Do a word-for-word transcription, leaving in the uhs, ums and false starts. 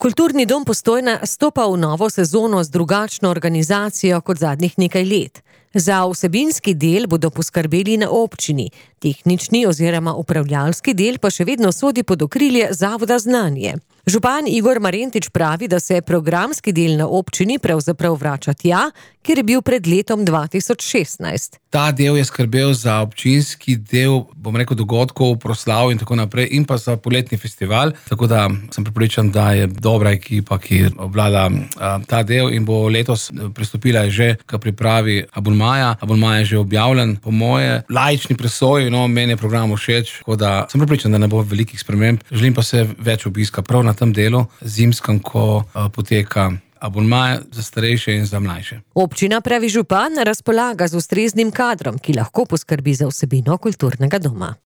Kulturni dom Postojna stopa v novo sezono z drugačno organizacijo kot zadnjih nekaj let. Za vsebinski del bodo poskrbeli na občini, tehnični oziroma upravljalski del pa še vedno sodi pod okrilje Zavoda Znanje. Župan Igor Marentič pravi, da se programski del na občini pravzaprav vrača tja, kjer je bil pred letom dva tisoč šestnajst. Ta del je skrbel za občinski del, bom rekel, dogodkov, proslav in tako naprej, in pa za poletni festival. Tako da sem prepričan, da je dobra ekipa, ki obvlada a, ta del in bo letos pristopila že k pripravi abonmaja. Abonmaj je že objavljen, po moje laični presoji, no, meni je program všeč, tako da sem prepričan, da ne bo velikih sprememb. Želim pa se več obiska prav na tem delu, zimskem, ko a, poteka abonmaj za starejše in za mlajše. Občina, pravi župan, razpolaga z ustreznim kadrom, ki lahko poskrbi za vsebino kulturnega doma.